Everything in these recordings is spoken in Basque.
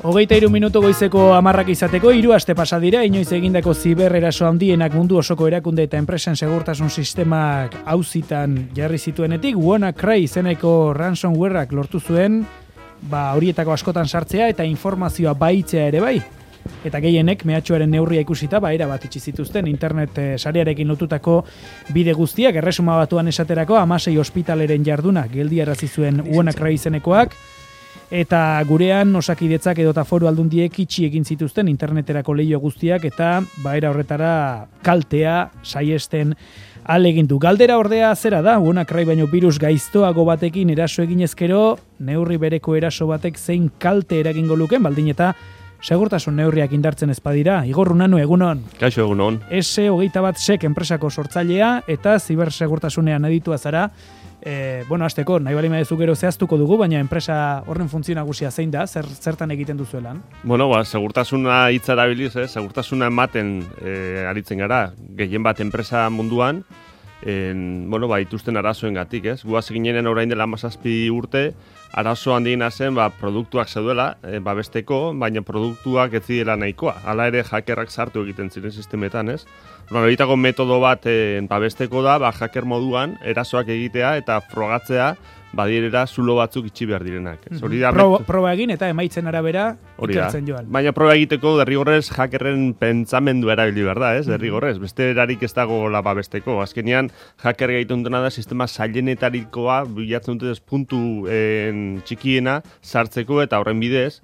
23 minutu goizeko 10 izateko 3 aste pasa dira inoiz egindako zibereraso handienak mundu osoko erakunde eta enpresen segurtasun sistemak auzitan jarri zituenetik WannaCry izeneko ransomwareak lortu zuen horietako askotan sartzea eta informazioa baitzea ere bai. Eta gehienek mehatxuaren neurria ikusita erabat itxi zituzten internet sarearekin lotutako bide guztiak erresuma batuan esaterako 16 ospitaleren jarduna geldiarazi zuen WannaCry izenekoak. Eta gurean Osakidetzak edota Foru Aldundiek itxi egin zituzten interneterako leiho guztiak eta era horretara kaltea saiesten ahalegindu. Galdera ordea zera da, WannaCry baino virus gaiztoago batekin eraso eginezkero, neurri bereko eraso batek zein kalte eragingo luken, baldin eta segurtasun neurriak indartzen ezpadira. Igor Runanu, egunon. Kaixo, egunon. S21sec enpresako sortzailea eta zibersegurtasunean aditua zara. Hasteko, nahi bali madezu gero zehaztuko dugu, baina enpresa horren funtzio nagusia zein da, zertan egiten duzuelan? Segurtasuna hitza erabiliz, segurtasuna ematen aritzen gara, gehien bat enpresa munduan, ituzten arazoengatik, ez? Guaz ginenen orain dela 17 urte, arazo handiena zen, produktuak zeudela, babesteko, baina produktuak ez zirela nahikoa. Hala ere, hackerrak sartu egiten ziren sistemetan, ez? Horitako metodo bat babesteko da, hacker moduan, erasoak egitea eta frogatzea, badirera zulo batzuk itxi behar direnak. Proba egin eta emaitzen arabera ikertzen joan. Baina proba egiteko derrigorrez hackerren pentsamendu erabili behar da, ez? Derrigorrez, beste erarik ez dago babesteko. Azkenean, hacker egiten dutena da sistema zailenetarikoa bilatzen dute puntu txikiena sartzeko eta horren bidez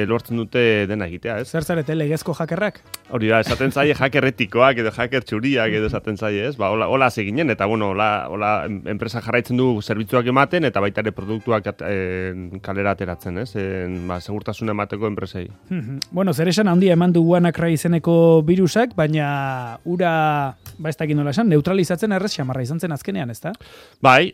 lortzen dute dena egitea, ez? Zer zarete, legezko hackerrak? Hori da, esaten zaie hacker etikoak edo hacker txuriak edo esaten zaie, ez? Hola seginen eta hola enpresa jarraitzen du zerbitzuak ematen eta baita ere produktuak kalera ateratzen, ez? Segurtasuna emateko enpresei. Zer esan handia eman du WannaCry izeneko virusak, baina ura, ez dakit nola esan, neutralizatzen errez xamarra izan zen azkenean, ez da? Bai,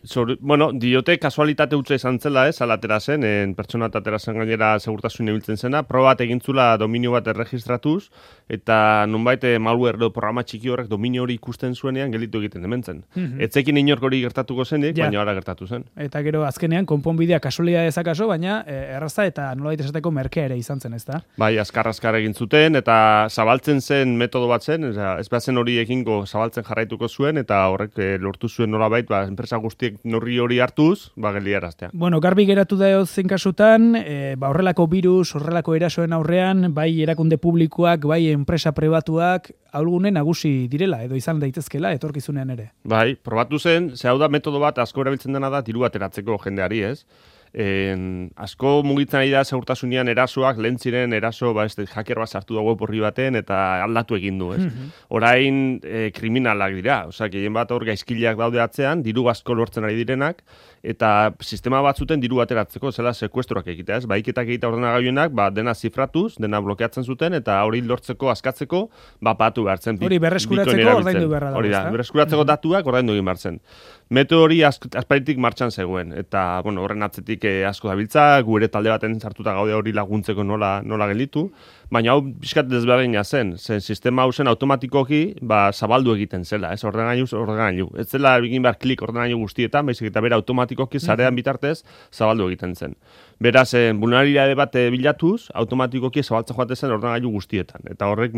diote kasualitate utza izan zela, ez? Alatera zen, pertsona atera zen gainera segurtasun ibiltzen zena, proba bat egintzula dominio bat erregistratuz, eta nonbait malware edo programa txiki horrek dominio hori ikusten zuenean gelditu egiten dementzen. Etzekin inork hori gertatuko zenik, baina ora gertatu zen. Eta gero azkenean konponbidea kasualitatea ezakaso, baina erraza eta nolabait esateko merkea ere izan zen, ezta? Bai, azkar egin zuten eta zabaltzen zen metodo bat zen, ez bazen hori egingo zabaltzen jarraituko zuen eta horrek lortu zuen nolabait, enpresa guztiek neurri hori hartuz, geldiaraztea. Garbi geratu da zein kasutan, horrelako virus, horrelako erasoen aurrean, bai erakunde publikoak, bai enpresa pribatuak ahulgune nagusi direla edo izan daitezkela etorkizunean ere. Bai, probatu zen, hau da metodo bat asko erabiltzen dena da diru ateratzeko jendeari, ez? Asko mugitzen ari da segurtasunean erasoak, lehen ziren eraso, hacker bat sartu da web horri baten eta aldatu egin du, ez? Orain kriminalak dira, gehien bat hor gaizkileak daude atzean, diru asko lortzen ari direnak, eta sistema bat zuten diru ateratzeko, zela sekuestroak egitea, ez? Baiketak egitea ordenagailuenak, dena zifratuz, dena blokeatzen zuten, eta hori lortzeko, askatzeko, patu behar zen. Hori berreskuratzeko ordaindu beharra da. Hori da, berreskuratzeko datuak ordaindu egin behar zen. Metodo hori asparitik martxan zegoen, eta horren atzetik asko dabiltza, gu ere talde baten sartuta gaude hori laguntzeko nola gelditu, baina hau pixkat desberdina zen sistema hau zen automatikoki zabaldu egiten zela, ez ordenagailu. Ez zela egin behar klik ordenagailu guztietan, baizik eta bera automatikoki sarean bitartez zabaldu egiten zen. Beraz, vulnerabilitate bat bilatuz, automatikoki zabaltzen joate zen ordenagailu guztietan. Eta horrek,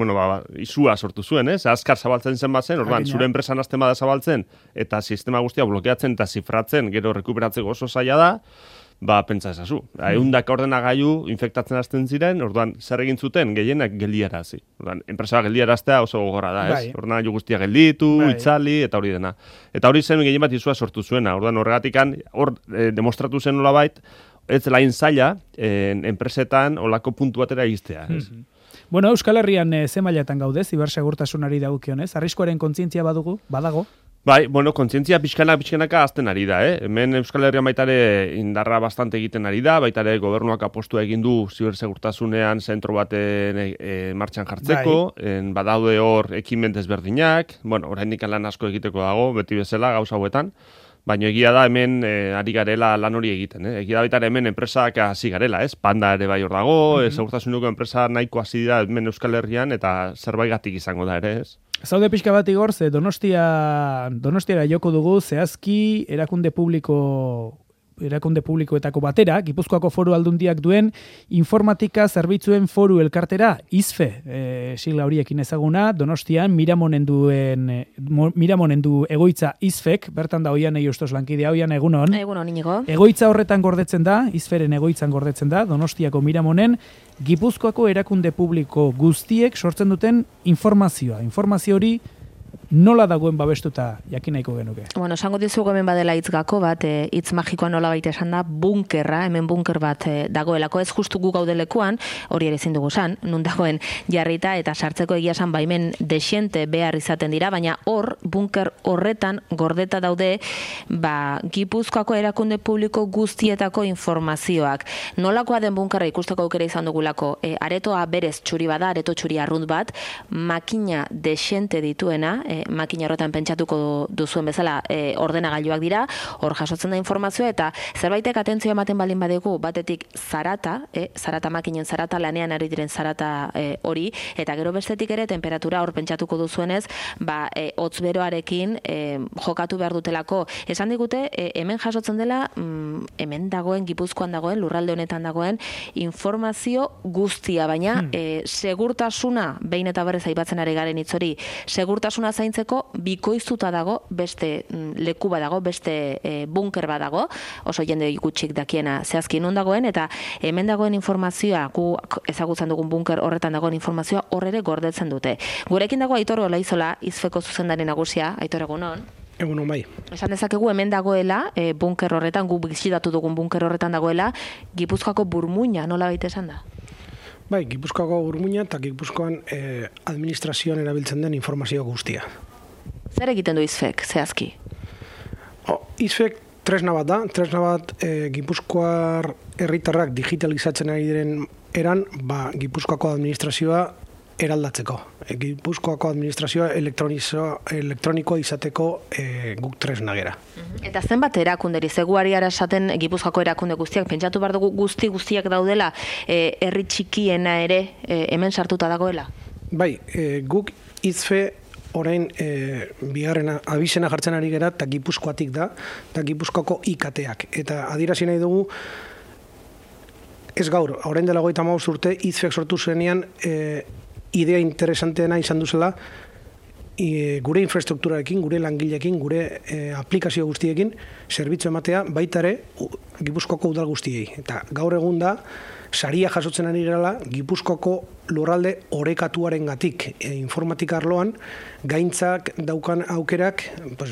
izua sortu zuen, ez? Azkar zabaltzen zen bazen, orduan, zure enpresan hasten bada zabaltzen, eta sistema guztia blokeatzen eta zifratzen, gero rekuperatzeko oso zaila da, pentsa ezazu. Ehundak ordenagailu infektatzen hasten ziren, orduan, zer egin zuten, gehienak geldiarazi. Orduan, enpresa geldiaraztea oso gogorra da, ez? Ordenagailu guztia gelditu, itzali, eta hori dena. Eta hori zen gehien bat izua sortu zuena. Orduan, horregatikan, demostratu zen nolabait, ez lain zaila, enpresetan olako puntu batera iztea. Euskal Herrian ze mailatan gaude, zibersegurtasunari dagokionez? Arriskuaren kontzientzia badago? Bai, kontzientzia pixkanaka azten ari da, Hemen Euskal Herrian baitare indarra bastante egiten ari da, baitare gobernuak apostua egin du zibersegurtasunean zentro baten martxan jartzeko, badaude hor ekimen desberdinak, oraindik lan asko egiteko dago, beti bezala gauza hauetan, baina egia da hemen ari garela lan hori egiten. Egia da baita hemen enpresak hasi garela, ez? Panda ere bai hor dago, segurtasuneko enpresa nahiko hasi dira hemen Euskal Herrian eta zerbaigatik izango da ere, ez? Zaude pixka bat Igor, Donostiara joko dugu, zehazki erakunde publiko erakunde publikoetako batera, Gipuzkoako Foru Aldundiak duen informatika zerbitzuen foru elkartera, IZFE, sigla horiekin ezaguna, Donostian, Miramonen du egoitza IZFEk, bertan da Oian Eustos lankidea, Oian egunon. Egunon, Inigo. Egoitza horretan gordetzen da, IZFEren egoitzan gordetzen da, Donostiako Miramonen, Gipuzkoako erakunde publiko guztiek sortzen duten informazioa. Informazio hori nola dagoen babestuta jakin nahiko genuke? Bueno, esango dizugu hemen badela hitz gako bat, hitz magikoa nola baita esan da, bunkerra, hemen bunker bat dagoelako, ez justu gu gaudelekuan, hori ere ezin dugu san, nun dagoen jarrita eta sartzeko egia esan baimen desiente behar izaten dira, baina bunker horretan gordeta daude, Gipuzkoako erakunde publiko guztietako informazioak. Nolakoa den bunkerra ikusteko aukera izan dugulako, aretoa berez txuri bada, areto txuri arrunt bat, makina desiente dituena, makina horretan pentsatuko duzuen bezala ordenagailuak dira, hor jasotzen da informazioa eta zerbaitek atentzioa ematen balin badegu batetik zarata, makinen zarata, lanean ari diren zarata hori, eta gero bestetik ere temperatura hor pentsatuko duzuenez, hotz beroarekin jokatu behar dutelako. Esan digute, hemen jasotzen dela, hemen dagoen, Gipuzkoan dagoen, lurralde honetan dagoen, informazio guztia, baina segurtasuna, behin eta berrez aipatzen ari garen hitz hori, segurtasuna zaintzeko bikoiztuta dago, beste leku badago, beste bunker badago, oso jende gutxik dakiena zehazki non dagoen, eta hemen dagoen informazioa, gu ezagutzen dugun bunker horretan dagoen informazioa horrere gordetzen dute. Gurekin dago Aitor Olaizola, IZFEko zuzendari nagusia, Aitor egunon. Egunon bai. Esan dezakegu hemen dagoela, bunker horretan, gu bizitatu dugun bunker horretan dagoela, Gipuzkoako burmuina, nola baita esan da? Bai, Gipuzkoako burmuina eta Gipuzkoan administrazioan erabiltzen den informazio guztia. Zer egiten du IZFEk, zehazki? IZFEk tresna bat Gipuzkoar herritarrak digitalizatzen ari diren eran, Gipuzkoako administrazioa eraldatzeko. Gipuzkoako administrazioa elektronikoa izateko guk tresna gera. Eta zenbat erakunderi, zeguari esaten Gipuzkoako erakunde guztiak, pentsatu behar dugu guztiak daudela, herri txikiena ere hemen sartuta dagoela? Bai, guk IZFE orain bigarren abizena jartzen ari gera, eta Gipuzkoatik da, eta Gipuzkoako IKT-ak. Eta adierazi nahi dugu, ez gaur, orain dela 35 urte, IZFEk sortu zuenean, idea interesanteena izan duzela, gure infrastrukturarekin, gure langileekin, gure aplikazio guztiekin, zerbitzu ematea baita ere Gipuzkoako udal guztiei. Eta gaur egun da, saria jasotzen ari gerala, Gipuzkoako lurralde orekatuarengatik informatika arloan, gaintzak daukan aukerak,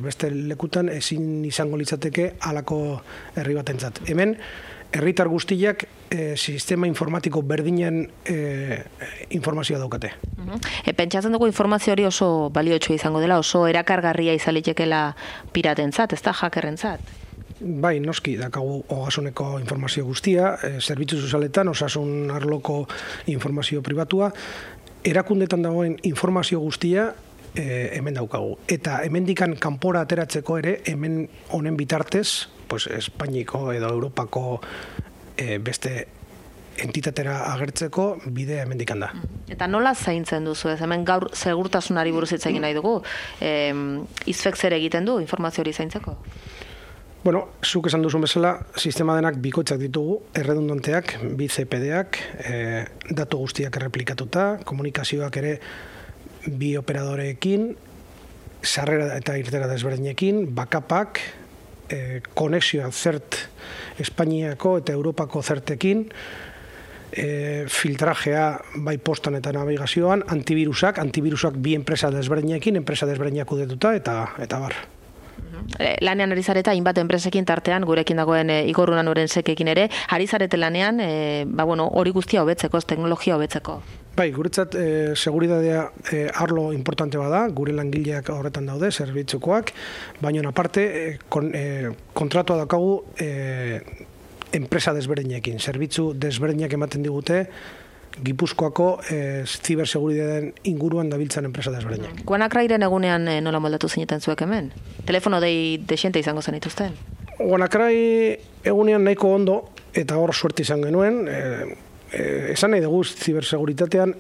beste lekutan ezin izango litzateke halako herri batentzat. Hemen, herritar guztiak sistema informatiko berdinen informazioa daukate. Pentsatzen dugu informazio hori oso baliotsua izango dela, oso erakargarria izalitekela piratentzat, ez da hackerrentzat? Bai, noski, dakagu ogasuneko informazio guztia, zerbitzu sozialetan, osasun arloko informazio pribatua, erakundetan dagoen informazio guztia hemen daukagu. Eta hemendikan kanpora ateratzeko ere, hemen honen bitartez, Espainiko edo Europako beste entitatera agertzeko bidea hemendikan da. Eta nola zaintzen duzu ez? Hemen gaur segurtasunari buruz hitz egin nahi dugu. IZFEk zer egiten du informazio hori zaintzeko? Bueno, zuk esan duzun bezala, sistema denak bikoitzak ditugu, erredundanteak, bi CPD-ak, datu guztiak erreplikatuta, komunikazioak ere bi operadoreekin, sarrera eta irtera desberdinekin, backupak, konexioa zert Espainiako eta Europako zertekin, filtrajea bai postan eta navigazioan, antivirusak bi enpresa desberdinekin, enpresa desberdinak kudetuta eta bar. Lanean ari zareta, hainbat enpresekin tartean, gurekin dagoen Igor Unanuren sekekin ere, ari zarete lanean, hori guztia hobetzeko, teknologia hobetzeko. Bai, guretzat seguridadea arlo importante bada, gure langileak horretan daude, zerbitzukoak, baina aparte kontratua daukagu enpresa desberdinekin, zerbitzu desberdinak ematen digute, Gipuzkoako ziberseguridadeen inguruan dabiltzan enpresa desberdinak. WannaCryren egunean nola moldatu zineten zuek hemen? Telefono desiente izango zenituzten? WannaCry egunean nahiko ondo, eta hor suerte izan genuen, esan nahi dugu ziberseguritatean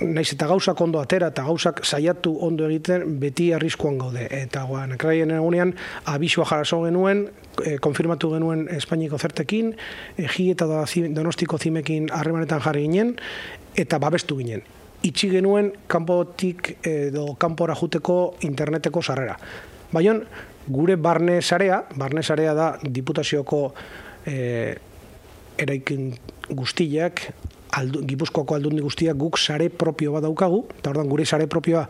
naiz eta gauzak ondo atera eta gauzak saiatu ondo egiten, beti arriskuan gaude. Eta WannaCryen egunean abisua jaraso genuen, konfirmatu genuen Espainiko zertekin, Egi eta Donostiko zimekin harremanetan jarri ginen, eta babestu ginen. Itxi genuen kanpotik edo kanpora juteko interneteko sarrera. Baina gure barne sarea da Diputazioko eraikin guztiak, Gipuzkoako aldundi guztiak guk sare propio bat daukagu, eta ordan gure sare propioa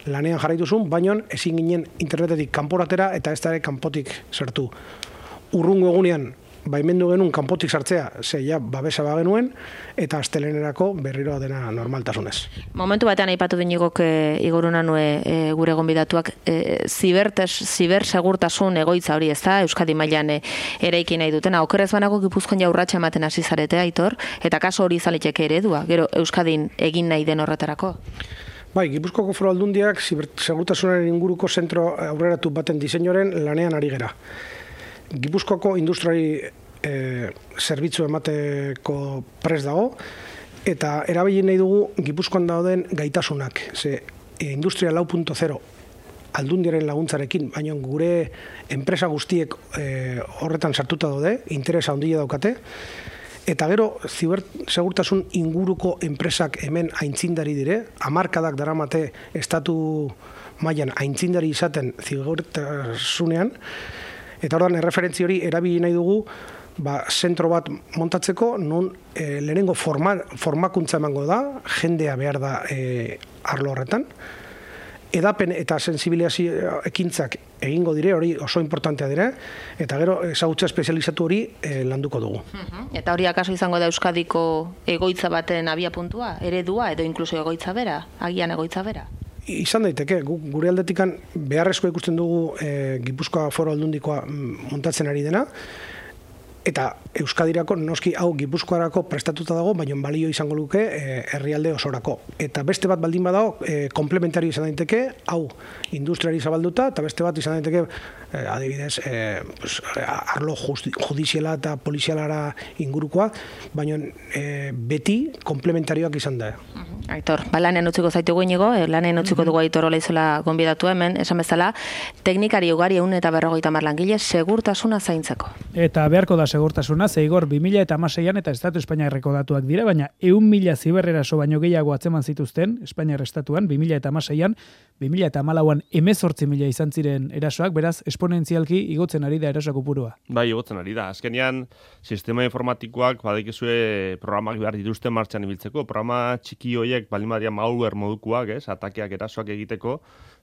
lanean jarraituzun, baina ezin ginen internetetik kanporatera eta ez da ere kanpotik sartu. Urrungo egunean baimendu genuen kanpotik sartzea, ja babesa bagenuen, eta astelenerako berriro dena normaltasunez. Momentu batean aipatu dinigok igoruna nue gure gonbidatuak zibersegurtasun egoitza hori, ez da, Euskadi mailan eraiki nahi dutena. Okerrez banago Gipuzkoan ja urratsa ematen hasi zarete, Aitor, eta kaso hori izaliteke eredua, gero Euskadin egin nahi den horretarako? Bai, Gipuzkoako Foru Aldundiak zibersegurtasunaren inguruko zentro aurreratu baten diseinuaren lanean ari gera. Gipuzkoako industriari zerbitzu emateko prest dago, eta erabili nahi dugu Gipuzkoan dauden gaitasunak. Industria 4.0 aldundiaren laguntzarekin, baina gure enpresa guztiek horretan sartuta daude, interesa handia daukate, eta gero zibersegurtasun inguruko enpresak hemen aintzindari dire, hamarkadak daramate estatu mailan aintzindari izaten zibertasunean, eta ordan erreferentzi hori erabili nahi dugu zentro bat montatzeko, non lehenengo formakuntza emango da, jendea behar da arlo horretan, edapen eta sensibilizazio ekintzak egingo dire, hori oso importantea dire, eta gero ezagutza espezializatu hori landuko dugu. Eta hori akaso izango da Euskadiko egoitza baten abiapuntua, eredua edo inkluso egoitza bera, agian egoitza bera? Izan daiteke, gure aldetikan beharrezko ikusten dugu Gipuzkoa Foru Aldundikoa montatzen ari dena, eta Euskadirako, noski hau Gipuzkoarako prestatuta dago, baina balio izango luke herrialde osorako. Eta beste bat baldin badago, komplementario izan daiteke, hau industriari zabalduta, eta beste bat izan daiteke, adibidez, arlo judiziala eta polizialara ingurukoa, baina beti komplementarioak izan da. Aitor, lanen utziko zaitugu inigo, lanen utziko dugu Aitor Olaizola gonbidatu hemen, esan bezala, teknikari ugari 150 langile segurtasuna zaintzeko. Eta beharko da segurtasuna, zeigor 2016an eta Estatu Espainiarreko datuak dira, baina 100.000 ziberreraso baino gehiago atzeman zituzten Espainiar Estatuan 2016an, 2014an 18.000 izan ziren erasoak, beraz esponentzialki igotzen ari da eraso kopurua. Bai, igotzen ari da. Azkenean sistema informatikoak badakizue programak behar dituzte martxan ibiltzeko, programa txiki horiek baldin badia malware modukoak, atakeak erasoak egiteko,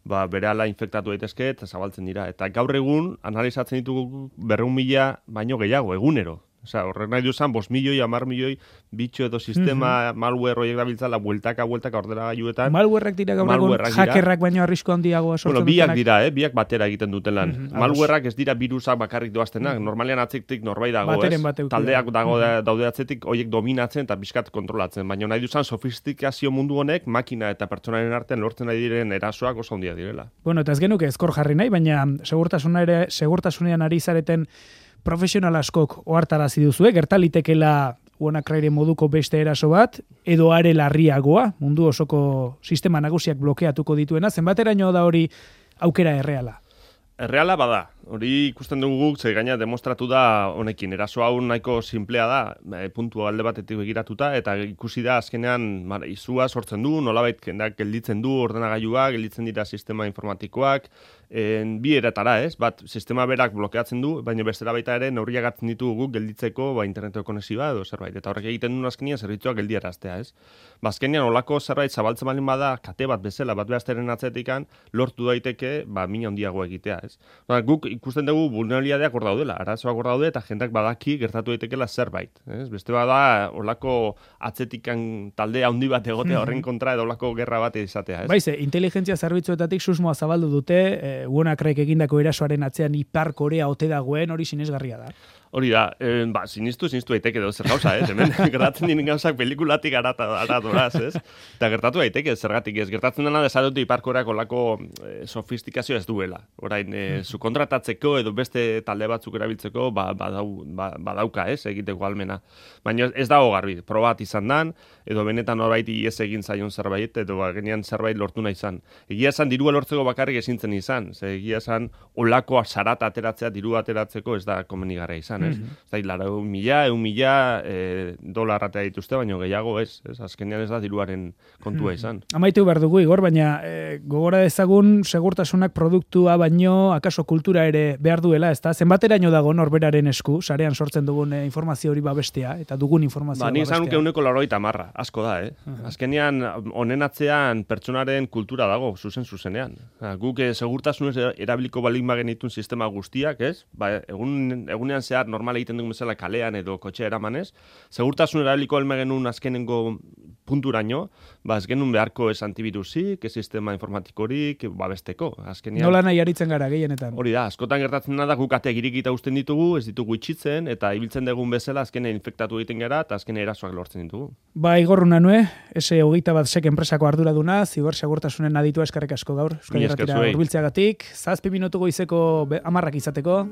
berehala infektatu daitezke eta zabaltzen dira. Eta gaur egun analizatzen ditugu 200.000 baino gehiago, egunero. Horrek nahi duzan, 5 milioi, 10 milioi bitxo edo sistema malware horiek dabiltzala bueltaka ordenagailuetan. Malwareak dira gaur egun, hackerrak baino arrisku handiagoa sortzen dutenak. Biak dira, biak batera egiten duten lan. Malwareak ez dira birusak bakarrik doaztenak, normalean atzetik norbait dago, taldeak daude atzetik horiek dominatzen eta bizkat kontrolatzen. Baina nahi duzan, sofistikazio mundu honek, makina eta pertsonaren artean lortzen nahi diren erasoak oso handia direla. Bueno, eta ez genuke ezkor jarri nahi, baina segurtasunean ari zareten profesional askok ohartarazi duzue, gertalitekela WannaCryen moduko beste eraso bat, edo are larriagoa, mundu osoko sistema nagusiak blokeatuko dituena, zenbateraino da hori aukera erreala? Erreala bada, hori ikusten dugu guk, ze gaina demostratu da honekin, eraso hau nahiko simplea da, puntu alde batetik begiratuta, eta ikusi da azkenean izua sortzen du, nolabait jendeak gelditzen du ordenagailua, gelditzen dira sistema informatikoak, bi eratara, bat sistema berak blokeatzen du, baina bestera baita ere neurriak hartzen ditugu guk gelditzeko interneteko konexioa edo zerbait, eta horrek egiten duen azkenean zerbitzuak geldiaraztea, Azkenean olako zerbait zabaltzen baldin bada, kate bat bezala, bat behazteren atzetikan, lortu daiteke, mina handiago egitea, Guk ikusten dugu vulnerabilitateak hor daudela, arazoak hor daude eta jendak badaki gertatu daitekela zerbait. Beste bada, olako atzetikan talde handi bat egotea horren kontra edo olako gerra bat izatea. Baize, inteligentzia zerbitzuetatik susmoa zabaldu dute, WannaCryek egindako erasoaren atzean Ipar Korea ote dagoen hori sinesgarria da. Hori da, sinistu daiteke edo zer gauza, hemen gertatzen diren gauzak pelikulatik aradoraz, ez? Eta gertatu daiteke, zergatik ez, gertatzen dena desadotu iparkorak olako sofistikazio ez duela. Orain, zu kontratatzeko edo beste talde batzuk erabiltzeko, badauka, ez, egiteko almena. Baina ez dago garbi, probat izan dan, edo benetan horbait ies egin zaion zerbait, edo genean zerbait lortu nahi izan. Egia esan, dirua lortzeko bakarrik ezintzen izan, egia esan, olako sarata ateratzea, diru ateratzeko ez da komenigarra izan. Ez da, $1,000 atea dituzte, baina gehiago ez, azkenean ez da diruaren kontua izan. Amaitu behar dugu, Igor, baina gogora dezagun segurtasunak produktua baino, akaso kultura ere behar duela, ez da? Zenbateraino dago norberaren esku, sarean sortzen dugun informazio hori babestea, eta dugun informazio babestea. Nik zanuk 180, asko da, Azkenean, honen atzean pertsonaren kultura dago, zuzenean. Guk segurtasunez erabiliko balin bagenitun sistema guztiak, ez? Egunean zehar normal egiten dugu bezala kalean edo kotxe eramanez, segurtasun erabiliko helme genuen azkenengo punturaino, ez genuen beharko ez antivirusik, ez sistema informatikorik, babesteko. Azkenean, nola nahi aritzen gara gehienetan. Hori da, askotan gertatzen da guk ateak irikita uzten ditugu, ez ditugu itxitzen, eta ibiltzen dugun bezala azkenean infektatu egiten gara, eta azkenean erasoak lortzen ditugu. Igor Unanue, S21 enpresako arduraduna, zibersegurtasunen aditua eskerrik asko gaur. Euskal Irratira hurbiltzeagatik, 7 minutu goizeko 10 izateko.